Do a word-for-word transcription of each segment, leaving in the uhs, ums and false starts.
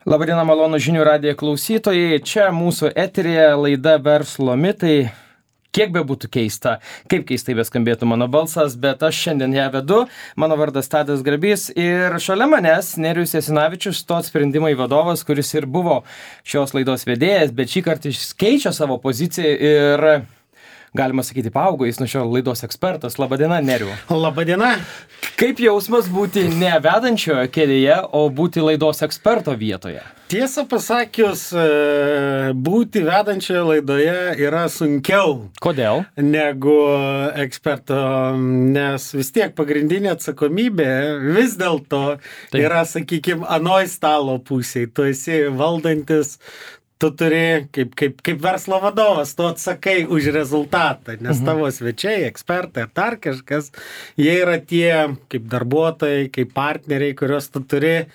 Labadiena, malonu žinių radijo klausytojai. Čia mūsų eterija laida Verslo mitai. Kiek be būtų keista, kaip keistai beskambėtų mano balsas, bet aš šiandien ją vedu. Mano vardas Tadas Grabys ir šalia manęs Nerijus Jasinavičius, Tot sprendimai vadovas, kuris ir buvo šios laidos vedėjas, bet šį kartą jis keičia savo poziciją ir, galima sakyti, paaugo, jis nuo šio laidos ekspertas. Labadiena, Neriu. Labadiena. Kaip jausmas būti ne vedančiojo kėdėje, o būti laidos eksperto vietoje? Tiesą pasakius, būti vedančioje laidoje yra sunkiau. Kodėl? Negu eksperto, nes vis tiek pagrindinė atsakomybė vis dėlto yra, sakykime, anoj stalo pusėje. Tu esi valdantis. Tu turi, kaip, kaip, kaip verslo vadovas, tu atsakai už rezultatą, nes tavo svečiai, ekspertai ar dar kažkas, jie yra tie kaip darbuotojai, kaip partneriai, kuriuos tu turi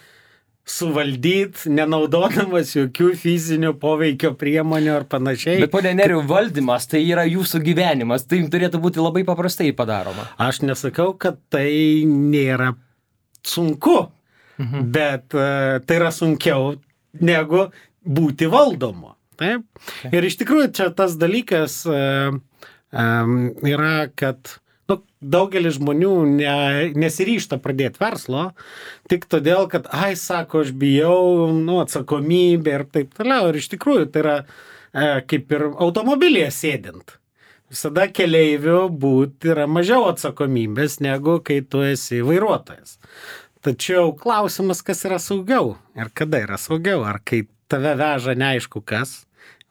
suvaldyti, nenaudodamas jokių fizinių poveikio priemonių ar panašiai. Bet, ponė Neriu, valdymas tai yra jūsų gyvenimas, tai turėtų būti labai paprastai padaroma. Aš nesakau, kad tai nėra sunku, mhm. bet uh, tai yra sunkiau negu būti valdomu. Taip? Okay. Ir iš tikrųjų čia tas dalykas uh, um, yra, kad nu, daugelis žmonių ne, nesiryžta pradėti verslo, tik todėl, kad, ai, sako, aš bijau, nu, atsakomybė ir taip toliau. Ir iš tikrųjų tai yra uh, kaip ir automobilyje sėdint. Visada keleivių būt yra mažiau atsakomybės, negu kai tu esi vairuotojas. Tačiau klausimas, kas yra saugiau ir kada yra saugiau, ar kai tave veža neaišku kas,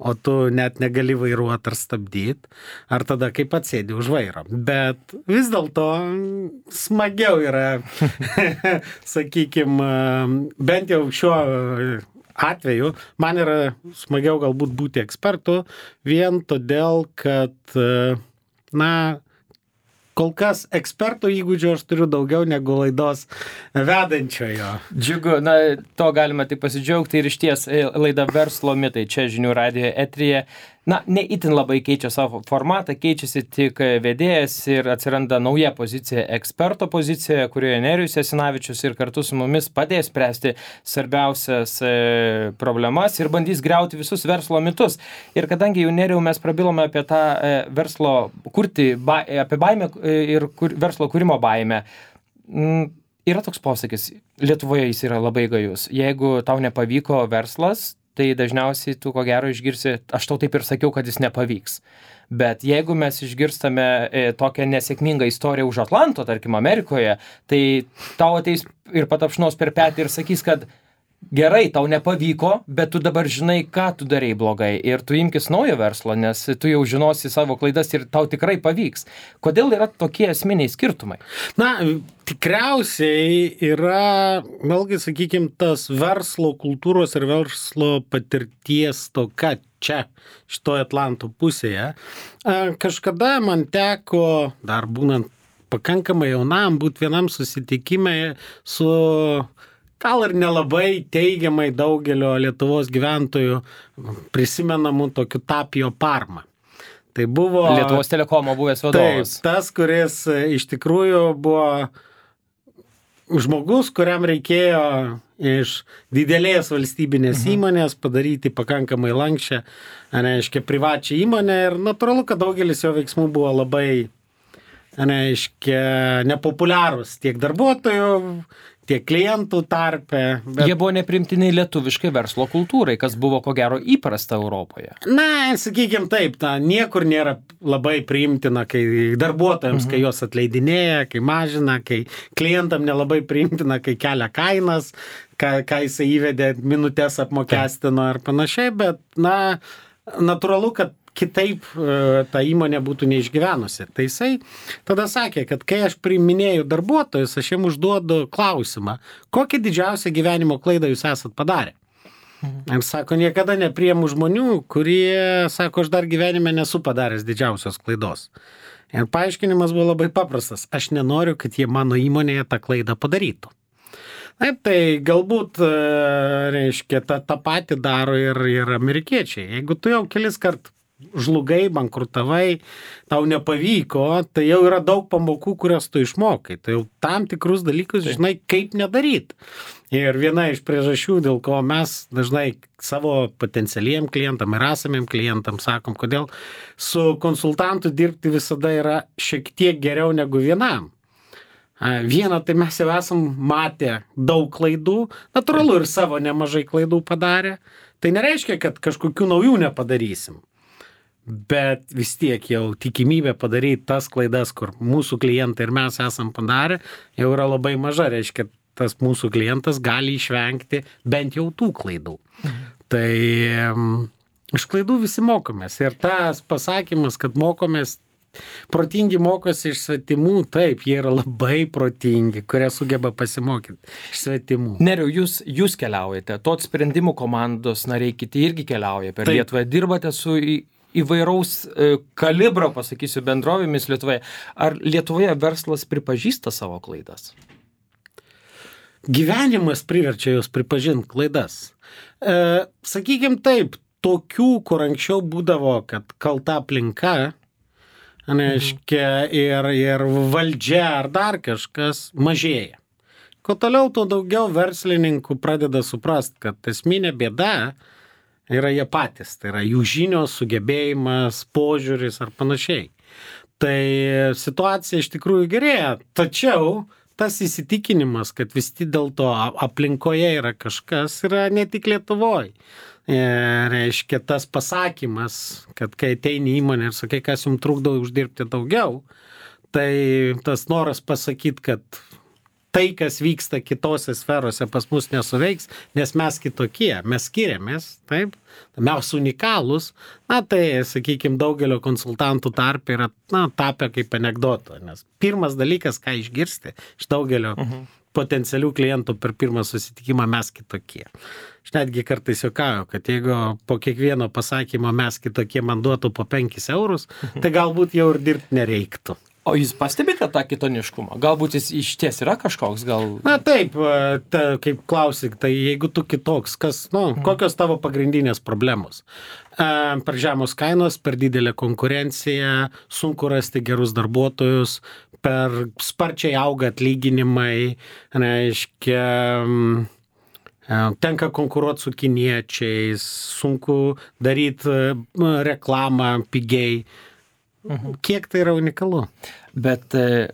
o tu net negali vairuoti ar stabdyti, ar tada kaip atsėdi už vairo. Bet vis dėlto smagiau yra, sakykime, bent jau šiuo atveju, man yra smagiau galbūt būti ekspertu, vien todėl, kad, na, kol kas eksperto įgūdžių aš turiu daugiau negu laidos vedančiojo. Džiugu, na, to galima tik pasidžiaugti ir išties laida Verslo mitai čia žinių radijo eteryje. Na, ne itin labai keičia savo formatą, keičiasi tik vedėjas ir atsiranda nauja pozicija, eksperto pozicija, kurioje Nerijus Jasinavičius ir kartu su mumis padės spręsti svarbiausias e, problemas ir bandys griauti visus verslo mitus. Ir kadangi jau Nerijau mes prabilome apie tą e, verslo kurti, ba, apie baimę e, ir kur, verslo kūrimo baimę, m, yra toks posakis, Lietuvoje jis yra labai gajus. Jeigu tau nepavyko verslas, tai dažniausiai tu ko gero išgirsi, aš tau taip ir sakiau, kad jis nepavyks. Bet jeigu mes išgirstame e, tokią nesėkmingą istoriją už Atlanto, tarkim Amerikoje, tai tau ateis ir patapšnos per petį ir sakys, kad gerai, tau nepavyko, bet tu dabar žinai, ką tu darei blogai ir tu imkis naujo verslo, nes tu jau žinosi savo klaidas ir tau tikrai pavyks. Kodėl yra tokie esminiai skirtumai? Na, tikriausiai yra, vėlgi, sakykime, tas verslo kultūros ir verslo patirties toka čia, šitoje Atlanto pusėje. Kažkada man teko, dar būnant pakankamai jaunam, būti vienam susitikime su gal ir nelabai teigiamai daugelio Lietuvos gyventojų prisimenamų tokių Tapio Parma. Tai buvo Lietuvos telekomo buvęs vadovas. Taip, tas, kuris iš tikrųjų buvo žmogus, kuriam reikėjo iš didelės valstybinės mhm. įmonės padaryti pakankamai lankščią, reiškia, privačią įmonę ir natūralu, kad daugelis jo veiksmų buvo labai, reiškia, nepopuliarūs tiek darbuotojų, tiek klientų tarpe. Bet jie buvo neprimtini lietuviškai verslo kultūrai, kas buvo ko gero įprasta Europoje. Na, sakykime taip, ta, niekur nėra labai priimtina, kai darbuotojams, mhm. kai juos atleidinėja, kai mažina, kai klientam nelabai priimtina, kai kelia kainas, ką, ką jisai įvedė, minutės apmokestino ar panašiai, bet, na, natūralu, kad kitaip ta įmonė būtų neišgyvenusi. Tai jisai tada sakė, kad kai aš priiminėju darbuotojus, aš jiems užduodu klausimą, kokią didžiausią gyvenimo klaidą jūs esat padarę. Mhm. Ir sako, niekada nepriimu žmonių, kurie, sako, aš dar gyvenime nesu padaręs didžiausios klaidos. Ir paaiškinimas buvo labai paprastas. Aš nenoriu, kad jie mano įmonėje tą klaidą padarytų. Taip, tai galbūt, reiškia, tą, tą patį daro ir, ir amerikiečiai. Jeigu tu jau kelis kart žlugai, bankrutavai, tau nepavyko, tai jau yra daug pamokų, kurias tu išmokai. Tai jau tam tikrus dalykus žinai, kaip nedaryti. Ir viena iš priežasčių, dėl ko mes dažnai savo potencialiem klientam ir esamiem klientam sakom, kodėl su konsultantu dirbti visada yra šiek tiek geriau negu vienam. Viena, tai mes jau esam matę daug klaidų, natūralu ir savo nemažai klaidų padarę. Tai nereiškia, kad kažkokių naujų nepadarysim. Bet vis tiek jau tikimybė padaryti tas klaidas, kur mūsų klientai ir mes esam padarę, jau yra labai maža. Reiškia, tas mūsų klientas gali išvengti bent jau tų klaidų. Mhm. Tai um, iš klaidų visi mokomės. Ir tas pasakymas, kad mokomės, protingi mokosi iš svetimų, taip, jie yra labai protingi, kurie sugeba pasimokyti iš svetimų. Neriau, jūs, jūs keliaujate, tot sprendimų komandos nariai kiti irgi keliauja per taip. Lietuvą, dirbate su į, įvairaus e, kalibro, pasakysiu, bendrovėmis Lietuvoje. Ar Lietuvoje verslas pripažįsta savo klaidas? Gyvenimas priverčia jūs pripažinti klaidas. E, sakykim taip, tokių, kur anksčiau būdavo, kad kalta aplinka, reiškia, ir, ir valdžia ar dar kažkas mažėja. Kuo toliau, tuo daugiau verslininkų pradeda suprast, kad esminė bėda yra jie patys. Tai yra jų žinios, sugebėjimas, požiūris ar panašiai. Tai situacija iš tikrųjų gerėja, tačiau tas įsitikinimas, kad vis tik dėl to aplinkoje yra kažkas, yra ne tik Lietuvoje. E, reiškia, tas pasakymas, kad kai ateini į įmonę ir sakai, kas jums trukdo uždirbti daugiau, tai tas noras pasakyti, kad tai, kas vyksta kitose sferose, pas mus nesuveiks, nes mes kitokie, mes skiriamės, taip, mes unikalūs, na tai, sakykime, daugelio konsultantų tarpe yra, na, tapę kaip anekdoto, nes pirmas dalykas, ką išgirsti iš daugelio uh-huh. potencialių klientų per pirmą susitikimą, mes kitokie. Aš netgi kartais juokauju, kad jeigu po kiekvieno pasakymo mes kitokie man duotų po penkis eurus, uh-huh. tai galbūt jau ir dirbti nereiktų. O jūs pastebite tą kitoniškumą? Galbūt jis iš ties yra kažkoks, gal... Na taip, ta, kaip klausik, tai jeigu tu kitoks, kas, nu, mm. kokios tavo pagrindinės problemos? E, per žemos kainos, per didelę konkurenciją, sunku rasti gerus darbuotojus, per sparčiai auga atlyginimai, reiškia, tenka konkuruoti su kiniečiais, sunku daryti reklamą pigiai. Mhm. Kiek tai yra unikalu? Bet e,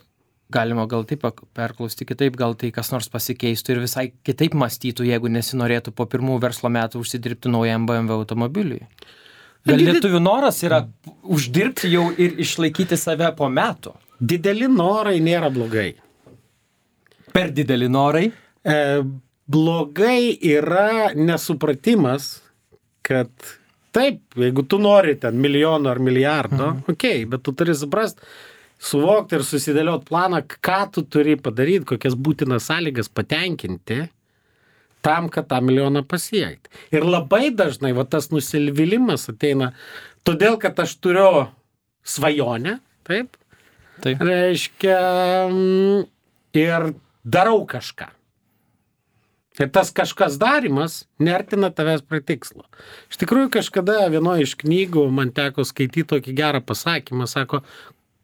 galima gal taip perklausti kitaip, gal tai kas nors pasikeistų ir visai kitaip mąstytų, jeigu nesinorėtų po pirmų verslo metų užsidirbti naujam B M W automobiliui. Gal lietuvių noras yra uždirbti jau ir išlaikyti save po metų? Dideli norai nėra blogai. Per dideli norai? E, blogai yra nesupratimas, kad taip, jeigu tu nori ten milijono ar milijardo, mhm. okei, okay, bet tu turi suprast, suvokti ir susidėlioti planą, ką tu turi padaryti, kokias būtinas sąlygas patenkinti tam, kad tą milijoną pasiekti. Ir labai dažnai va, tas nusivylimas ateina todėl, kad aš turiu svajonę, taip, taip. Reiškia, ir darau kažką. Ir tas kažkas darimas neartina tavęs prie tikslo. Iš tikrųjų, kažkada vienoje iš knygų man teko skaityti tokį gerą pasakymą, sako,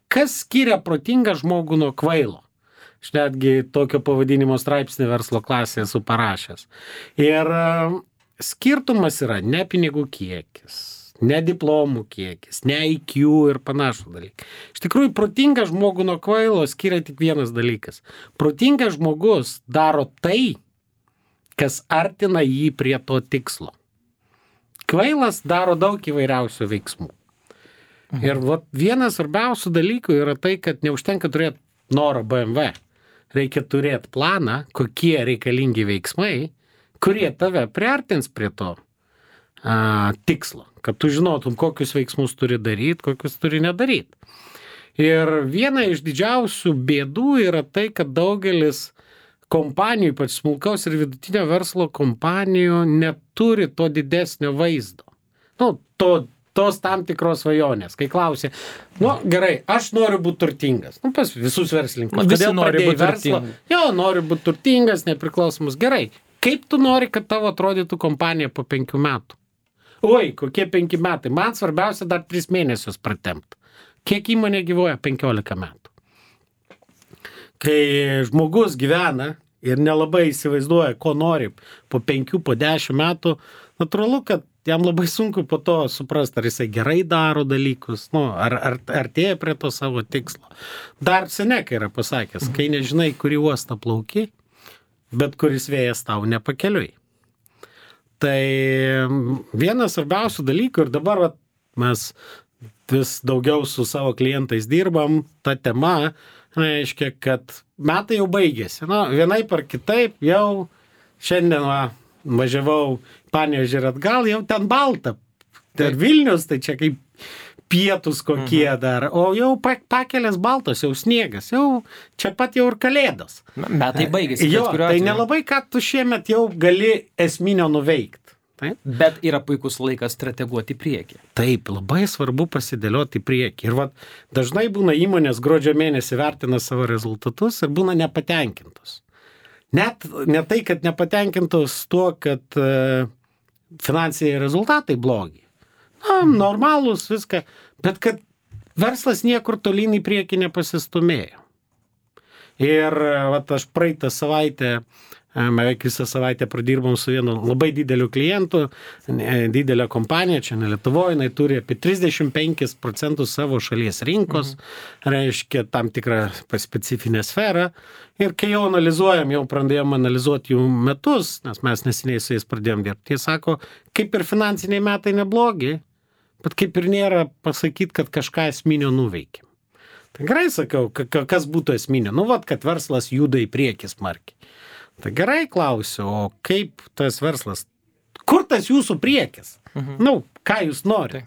kas skiria protingą žmogų nuo kvailo? Aš netgi tokio pavadinimo straipsnį verslo klasėje esu parašęs. Ir skirtumas yra ne pinigų kiekis, ne diplomų kiekis, ne I Q ir panašų dalykai. Iš tikrųjų, protingą žmogų nuo kvailo skiria tik vienas dalykas. Protingas žmogus daro tai, kas artina jį prie to tikslo. Kvailas daro daug įvairiausių veiksmų. Mhm. Ir vat, vienas svarbiausių dalykų yra tai, kad neužtenka turėti norą B M W. Reikia turėti planą, kokie reikalingi veiksmai, kurie tave priartins prie to a, tikslo. Kad tu žinotum, kokius veiksmus turi daryti, kokius turi nedaryti. Ir viena iš didžiausių bėdų yra tai, kad daugelis kompanijų, ypač smulkaus ir vidutinio verslo kompanijų, neturi to didesnio vaizdo. Nu, to, tos tam tikros svajonės. Kai klausė, nu gerai, aš noriu būti turtingas. Nu, pas visus verslininkus. Visi nori būti turtingas. Jo, noriu būti turtingas, nepriklausomus. Gerai, kaip tu nori, kad tavo atrodytų kompanija po penkių metų? oi, kokie penki metai. Man svarbiausia dar tris mėnesius pratempti. Kiek įmonė gyvoja? penkiolika metų. Kai žmogus gyvena ir nelabai įsivaizduoja, ko nori po penkių, po dešimt metų, natūralu, kad jam labai sunku po to suprasti, ar jisai gerai daro dalykus, nu, ar, ar artėja prie to savo tikslo. Dar Seneca yra pasakęs, kai nežinai, kurį uostą plauki, bet kuris vėjas tau nepakeliui. Tai vienas svarbiausių dalykų ir dabar vat, mes vis daugiau su savo klientais dirbam, ta tema reiškia, kad metai jau baigėsi. Nu, vienaip ar kitaip jau šiandien va, važiavau Panevėžį ir atgal, jau ten balta. Ir Vilnius, tai čia kaip pietus kokie mhm. dar, o jau pakelės baltos, jau sniegas, jau čia pat jau ir kalėdos. Metai baigėsi. Jo, tai nelabai ką tu šiemet jau gali esminio nuveikti. Taip? Bet yra puikus laikas strateguoti į priekį. Taip, labai svarbu pasidėlioti į priekį. Ir vat, dažnai būna įmonės gruodžio mėnesį vertina savo rezultatus ir būna nepatenkintos. Net ne tai, kad nepatenkintos tuo, kad uh, finansiniai rezultatai blogi. Na, normalūs viską, bet kad verslas niekur tolyn į priekį nepasistumėjo. Ir vat, aš praeitą savaitę, beveik visą savaitę pradirbom su vienu labai dideliu klientu, didelė kompanija, čia ne Lietuvoje, jinai turi apie trisdešimt penkis procentus savo šalies rinkos, mhm. reiškia tam tikrą specifinę sferą. Ir kai jau analizuojam, jau pradėjom analizuoti jų metus, nes mes neseniai su jais pradėjom dirbti, jie sako, kaip ir finansiniai metai neblogi, bet kaip ir nėra pasakyti, kad kažką esminio nuveikėm. Tai gerai sakau, kas būtų esminio? Nu, vat, kad verslas juda į priekį smarkiai. Tai gerai klausiu, o kaip tas verslas, kur tas jūsų priekis? Mhm. Nu, ką jūs norite?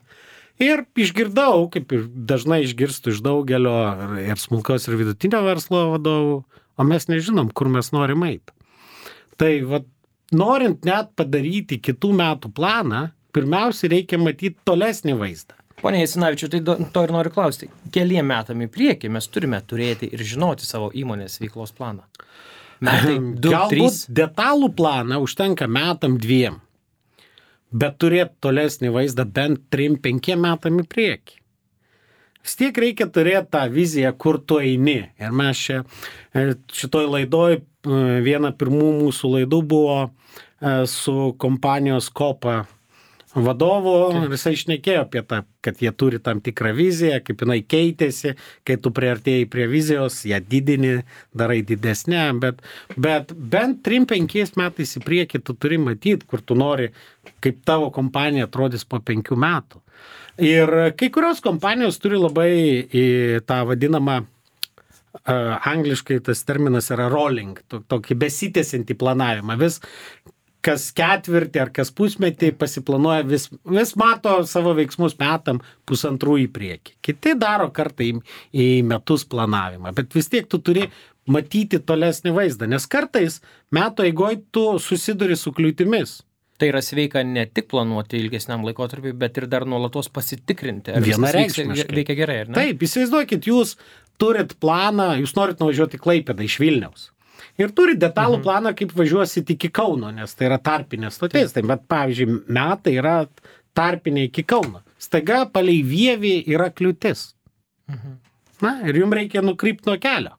Ir išgirdau, kaip ir dažnai išgirstu iš daugelio ir smulkaus ir vidutinio verslo vadovų, o mes nežinom, kur mes norim eiti. Tai vat, norint net padaryti kitų metų planą, pirmiausia reikia matyti tolesnį vaizdą. Pone Jasinavičiau, tai to ir noriu klausti. Keliem metam į priekį mes turime turėti ir žinoti savo įmonės veiklos planą. Metai, du, Galbūt trys. Detalų planą užtenka metam dviem, bet turėti tolesnį vaizdą bent trim, penkiem metam į priekį. Vis tiek reikia turėti tą viziją, kur tu eini. Ir mes čia šitoj laidoj, viena pirmų mūsų laidų buvo su kompanijos Kopa vadovu, ir jisai šnekėjo apie tą, kad jie turi tam tikrą viziją, kaip jinai keitėsi, kai tu priartėjai prie vizijos, ją didini, darai didesnę, bet, bet bent trim penkiais metais į priekį tu turi matyti, kur tu nori, kaip tavo kompanija atrodys po penkių metų. Ir kai kurios kompanijos turi labai į tą vadinamą, uh, angliškai tas terminas yra rolling, tokį besitęsiantį planavimą, vis kas ketvirtį ar kas pusmetį pasiplanuoja, vis, vis mato savo veiksmus metam pusantrų į priekį. Kiti daro kartą į, į metus planavimą, bet vis tiek tu turi matyti tolesnį vaizdą, nes kartais metų eigoj tu susiduri su kliūtimis. Tai yra sveika ne tik planuoti ilgesniam laikotarpiui, bet ir dar nuolatos pasitikrinti. Ar vienareikšmiškai veikia gerai, ar ne? Taip, įsivaizduokit, jūs turit planą, jūs norit nuvažiuoti Klaipėdą iš Vilniaus. Ir turi detalų mhm. planą, kaip važiuosit iki Kauno, nes tai yra tarpinė stotis. Tai, bet, pavyzdžiui, metai yra tarpinė iki Kauno. Staiga palei Vievį yra kliūtis. Mhm. Na, ir jums reikia nukrypti nuo kelio.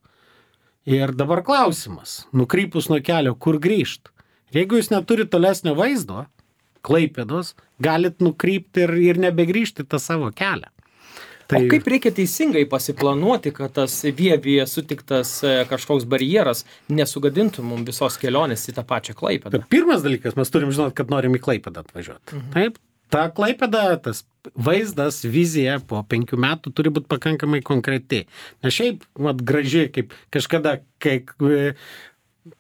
Ir dabar klausimas, nukrypus nuo kelio, kur grįžt? Jeigu jūs neturite tolesnio vaizdo, Klaipėdos, galit nukrypti ir, ir nebegrįžti tą savo kelią. Tai... O kaip reikia teisingai pasiplanuoti, kad tas Vievyje sutiktas kažkoks barjeras nesugadintų mums visos kelionės į tą pačią Klaipėdą? Pirmas dalykas, mes turim žinot, kad norim į Klaipėdą atvažiuoti. Mhm. Taip, ta Klaipėda, tas vaizdas, vizija po penkių metų turi būti pakankamai konkreti. Nes šiaip, mat, graži, kaip kažkada, kai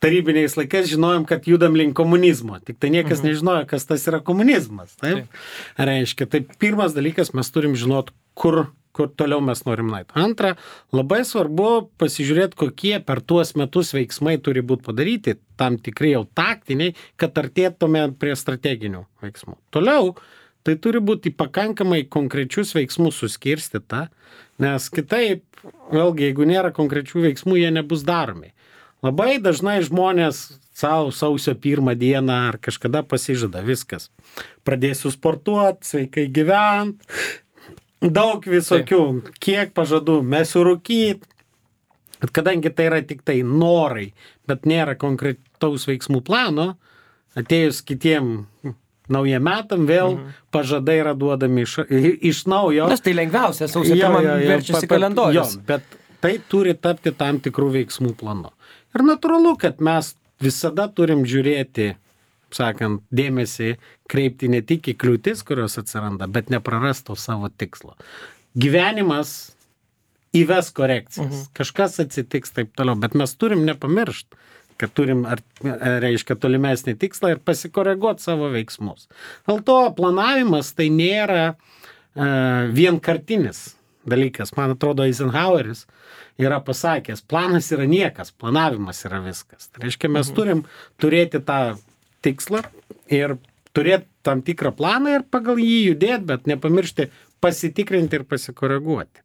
tarybiniais laikais žinojom, kad judam link komunizmo. Tik tai niekas mhm. nežinojo, kas tas yra komunizmas. Taip? Taip. Reiškia, tai pirmas dalykas, mes turim žinot, kur, kur toliau mes norim nueiti. Antra, labai svarbu pasižiūrėti, kokie per tuos metus veiksmai turi būti padaryti, tam tikrai jau taktiniai, kad artėtume prie strateginių veiksmų. Toliau, tai turi būti pakankamai konkrečius veiksmus suskirstyta, nes kitaip, vėlgi, jeigu nėra konkrečių veiksmų, jie nebus daromi. Labai dažnai žmonės savo sausio pirmą dieną ar kažkada pasižada viskas. Pradėsiu sportuoti, sveikai gyventi, daug visokių, kiek pažadų, mesiu rūkyti. Bet kadangi tai yra tik tai norai, bet nėra konkretaus veiksmų plano, atėjus kitiem naujiem metam vėl mhm. pažadai yra duodami iš, iš naujo. Nes tai lengviausia, sausio pirmą verčiasi kalendorius. Jo, bet tai turi tapti tam tikrų veiksmų planu. Ir natūralu, kad mes visada turim žiūrėti, sakant, dėmesį kreipti ne tik į kliūtis, kurios atsiranda, bet neprarasto savo tikslo. Gyvenimas įves korekcijas. Mhm. Kažkas atsitiks taip toliau, bet mes turim nepamiršti, kad turim, ar, reiškia, tolimesnį tikslą ir pasikoreguoti savo veiksmus. Dėl to planavimas tai nėra uh, vienkartinis dalykas. Man atrodo, Eisenhoweris yra pasakęs, planas yra niekas, planavimas yra viskas. Tai reiškia, mes mhm. turim turėti tą tikslą ir turėti tam tikrą planą ir pagal jį judėti, bet nepamiršti pasitikrinti ir pasikoreguoti.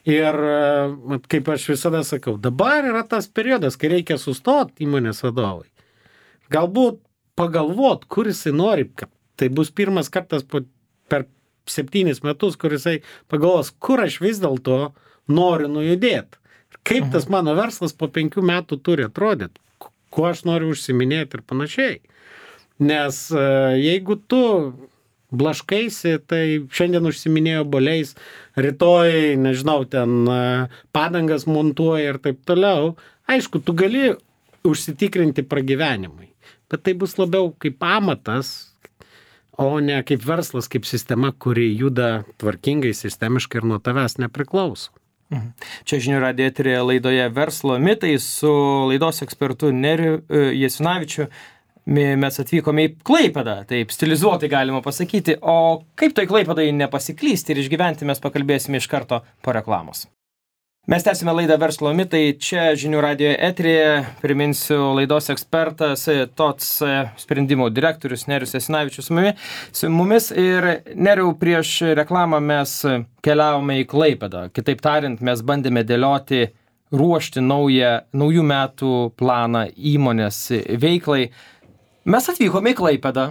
Ir kaip aš visada sakau, dabar yra tas periodas, kai reikia sustoti įmonės vadovai. Galbūt pagalvot, kur jisai nori, kad tai bus pirmas kartas po, per septynis metus, kur jisai pagalvos, kur aš vis dėlto noriu nujudėti. Kaip tas mano verslas po penkių metų turi atrodyti, kuo aš noriu užsiminėti ir panašiai. Nes jeigu tu blaškaisi, tai šiandien užsiminėjo boliais, rytoj, nežinau, ten padangas montuoja ir taip toliau. Aišku, tu gali užsitikrinti pragyvenimui, bet tai bus labiau kaip amatas, o ne kaip verslas, kaip sistema, kuri juda tvarkingai, sistemiškai ir nuo tavęs nepriklauso. Mhm. Čia žinių radijo eteryje laidoje Verslo mitai su laidos ekspertu Neriu Jasinavičiu. Mes atvykome į Klaipėdą, taip stilizuotai galima pasakyti, o kaip toj Klaipėdai nepasiklysti ir išgyventi mes pakalbėsime iš karto po reklamos. Mes tęsime laidą Verslo mitai, čia žinių radijo eteryje, priminsiu laidos ekspertas, T O T S sprendimų direktorius Nerius Jasinavičius su mumis ir Neriau, prieš reklamą mes keliavome į Klaipėdą, kitaip tariant, mes bandėme dėlioti, ruošti naują, naujų metų planą įmonės veiklai. Mes atvykome į Klaipėdą,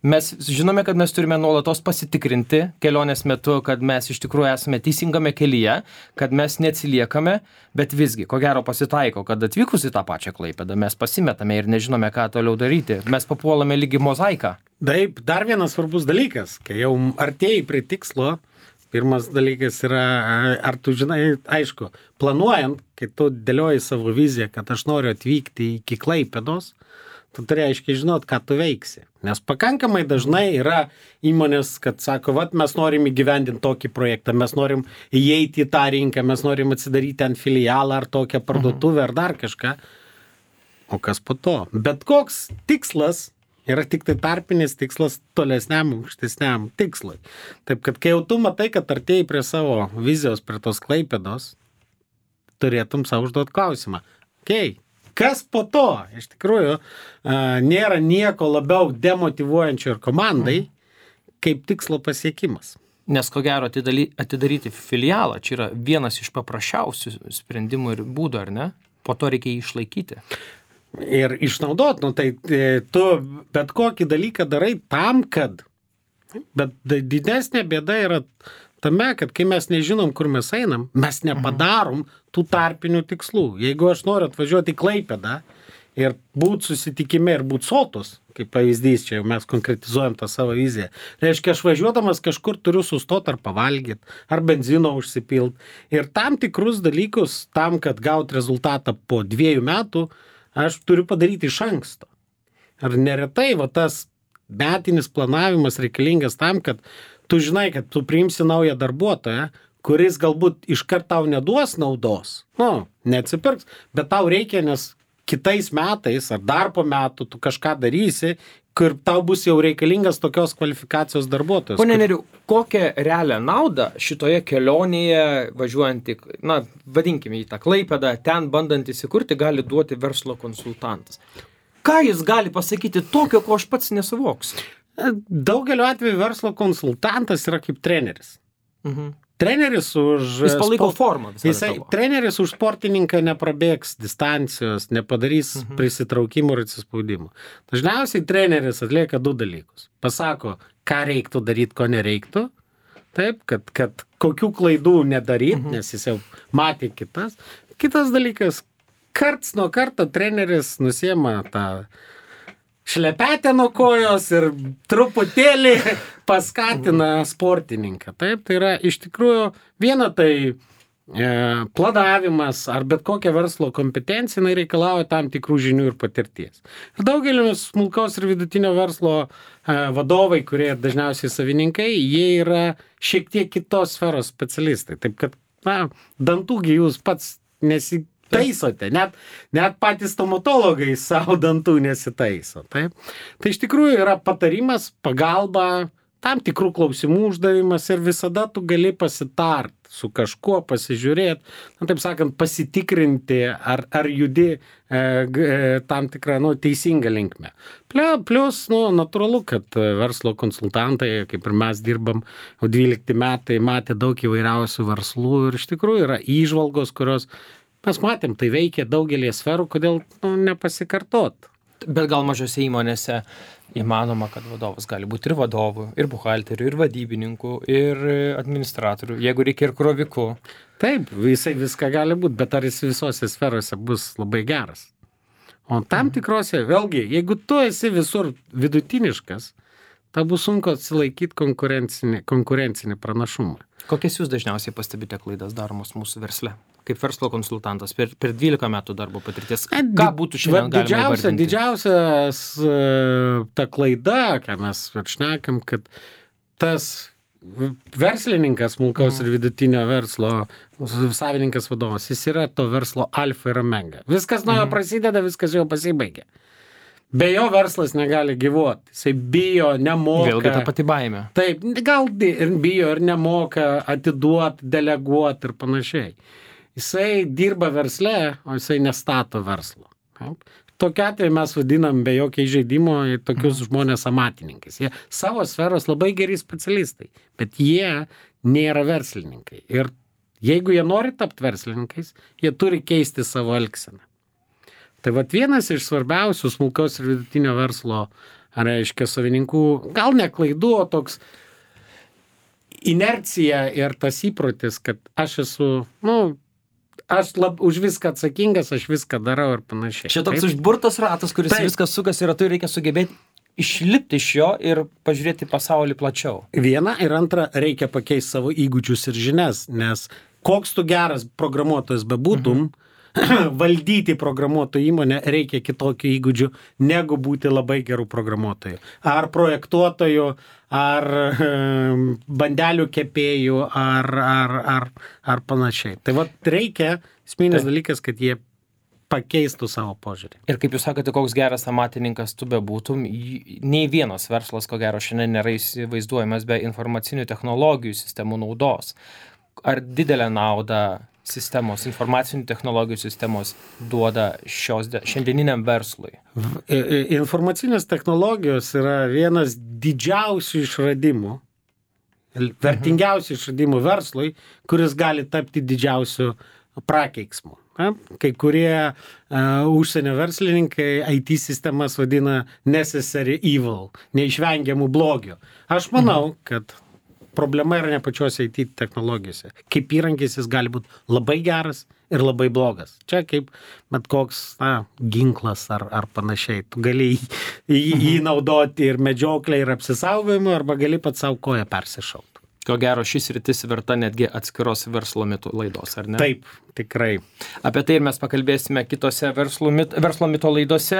mes žinome, kad mes turime nuolatos pasitikrinti kelionės metu, kad mes iš tikrųjų esame teisingame kelyje, kad mes neatsiliekame, bet visgi, ko gero pasitaiko, kad atvykus į tą pačią Klaipėdą mes pasimetame ir nežinome, ką toliau daryti. Mes papuolame lygi mozaiką. Taip, dar vienas svarbus dalykas, kai jau artėjai prie tikslo, pirmas dalykas yra, ar tu žinai, aišku, planuojant, kai tu dėlioji savo viziją, kad aš noriu atvykti iki Klaipėdos, tu turi aiškiai žinot, ką tu veiksi. Nes pakankamai dažnai yra įmonės, kad sako, vat mes norim įgyvendinti tokį projektą, mes norim įeiti į tą rinką, mes norim atsidaryti ant filialą ar tokią parduotuvę ar dar kažką. O kas po to? Bet koks tikslas yra tik tai tarpinis tikslas tolesniam, aukštesniam tikslui. Taip, kad kai jau tu matai, kad artėjai prie savo vizijos, prie tos Klaipėdos, turėtum savo užduoti klausimą. Okei. Okay. Kas po to? Iš tikrųjų, nėra nieko labiau demotyvuojančio ir komandai, kaip tikslo pasiekimas. Nes ko gero atidaryti filialą, čia yra vienas iš paprasčiausių sprendimų ir būdų, ar ne? Po to reikia jį išlaikyti. Ir išnaudot, nu tai tu bet kokį dalyką darai tam, kad, bet didesnė bėda yra tame, kad kai mes nežinom, kur mes einam, mes nepadarom tų tarpinių tikslų. Jeigu aš noriu atvažiuoti į Klaipėdą ir būt susitikime ir būt sotus, kaip pavyzdys, čia jau mes konkretizuojam tą savo viziją, reiškia, aš važiuodamas kažkur turiu sustoti ar pavalgyti, ar benzino užsipilt. Ir tam tikrus dalykus, tam, kad gaut rezultatą po dviejų metų, aš turiu padaryti iš anksto. Ar neretai va tas metinis planavimas reikalingas tam, kad tu žinai, kad tu priimsi naują darbuotoją, kuris galbūt iškart tau neduos naudos, nu, neatsipirks, bet tau reikia, nes kitais metais ar dar po metų tu kažką darysi, kur tau bus jau reikalingas tokios kvalifikacijos darbuotojas. Pone Neriu, kokią realią naudą šitoje kelionėje važiuojant, na, vadinkime į tą Klaipėdą, ten bandant įsikurti, gali duoti verslo konsultantas? Ką jis gali pasakyti tokio, ko aš pats nesuvoksiu? Daugeliu atveju verslo konsultantas yra kaip treneris. Mhm. treneris už... Jis palaiko sport- formą visą Jisai, tavo. treneris už sportininką neprabėgs distancijos, nepadarys Mhm. prisitraukimų ir atsispaudimų. Dažniausiai treneris atlieka du dalykus. Pasako, ką reiktų daryti, ko nereiktų. Taip, kad, kad kokių klaidų nedaryti, mhm. nes jis jau matė kitas. Kitas dalykas, karts nuo karto treneris nusiema tą šlepetę nuo kojos ir truputėlį paskatina sportininką. Taip, tai yra iš tikrųjų viena tai e, planavimas ar bet kokia verslo kompetencija jinai reikalauja tam tikrų žinių ir patirties. Ir daugelis smulkaus ir vidutinio verslo e, vadovai, kurie dažniausiai savininkai, jie yra šiek tiek kitos sferos specialistai. Taip kad, na, dantųgi jūs pats nesi taisote, net, net patys stomatologai savo dantų nesitaiso. Taip? Tai iš tikrųjų yra patarimas, pagalba, tam tikrų klausimų uždavimas ir visada tu gali pasitart su kažkuo, pasižiūrėti, nu, taip sakant, pasitikrinti, ar, ar judi e, e, tam tikrą nu, teisingą linkmę. Plius, nu, natūralu, kad verslo konsultantai, kaip ir mes dirbam, jau dvylikti metai, matė daug įvairiausių verslų ir iš tikrųjų yra įžvalgos, kurios mes matėm, tai veikia daugelį sferų, kodėl nu, nepasikartot. Bet gal mažose įmonėse įmanoma, kad vadovas gali būti ir vadovų, ir buhalterių, ir vadybininkų, ir administratorių, jeigu reikia ir krovikų. Taip, visai viską gali būti, bet ar jis visose sferose bus labai geras? O tam tikrose, vėlgi, jeigu tu esi visur vidutiniškas, tai bus sunku atsilaikyti konkurencinį, konkurencinį pranašumą. Kokias jūs dažniausiai pastebite klaidas daromos mūsų versle? Kaip verslo konsultantas per, per dvylika metų darbo patirties. Ką būtų šiandien galima didžiausia, įvardinti? Didžiausias ta klaida, ką mes šnekam, kad tas verslininkas, smulkaus ir vidutinio verslo savininkas vadovas, jis yra to verslo alfa ir omega. Viskas nuo jo prasideda, viskas jau pasibaigia. Be jo verslas negali gyvuoti. Jisai bijo, nemoka. Vėlgi ta pati baimė. Taip, gal ir bijo ir nemoka atiduoti, deleguoti ir panašiai. Jisai dirba versle, o jisai nestato verslo. Taip. Tokiu atveju mes vadinam be jokio įžeidimo tokius mm. žmonės amatininkais. Jie savo sferos labai geri specialistai, bet jie nėra verslininkai. Ir jeigu jie nori tapti verslininkais, jie turi keisti savo elgseną. Tai vat vienas iš svarbiausių smulkaus ir vidutinio verslo, reiškia, savininkų, gal ne klaidų, o toks inercija ir tas įprotis, kad aš esu, nu, aš lab, už viską atsakingas, aš viską darau ir panašiai. Čia toks užburtas ratas, kuris Taip. Viskas sukas ir tu reikia sugebėti išlipti iš jo ir pažiūrėti pasaulį plačiau. Viena ir antra, reikia pakeisti savo įgūdžius ir žinias, nes koks tu geras programuotojas bebūtum, mhm. valdyti programuotojų įmonę reikia kitokių įgūdžių, negu būti labai gerų programuotojų. Ar projektuotojų, ar bandelių kepėjų, ar, ar, ar, ar panašiai. Tai va reikia, esminis dalykas, kad jie pakeistų savo požiūrį. Ir kaip jūs sakote, koks geras amatininkas tu bebūtum, nei vienas verslas, ko gero, šiandien nėra įsivaizduojamas be informacinių technologijų sistemų naudos. Ar didelę naudą sistemos, informacinių technologijų sistemos duoda šios šiandieniniam verslui? Informacinės technologijos yra vienas didžiausių išradimų, vertingiausių išradimų verslui, kuris gali tapti didžiausiu prakeiksmu. Kai kurie uh, užsienio verslininkai I T sistemas vadina necessary evil, neišvengiamų blogių. Aš manau, kad problema yra ne pačiose I T technologijose. Kaip įrankis jis gali būti labai geras ir labai blogas. Čia kaip bet koks na, ginklas ar, ar panašiai. Tu gali jį, jį naudoti ir medžioklę, ir apsisaugojimą, arba gali pat savo koją persišaut. Ko gero, šis rytis verta netgi atskiros verslo mitų laidos, ar ne? Taip, tikrai. Apie tai ir mes pakalbėsime kitose verslo, mit, verslo mito laidose.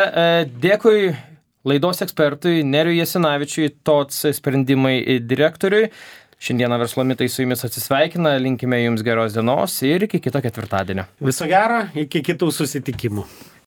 Dėkui laidos ekspertui Nerijui Jasinavičiui, T O C sprendimai direktoriui. Šiandieną verslo mitai su jumis atsisveikina, linkime jums geros dienos ir iki kito ketvirtadienio. Viso gero, iki kitų susitikimų.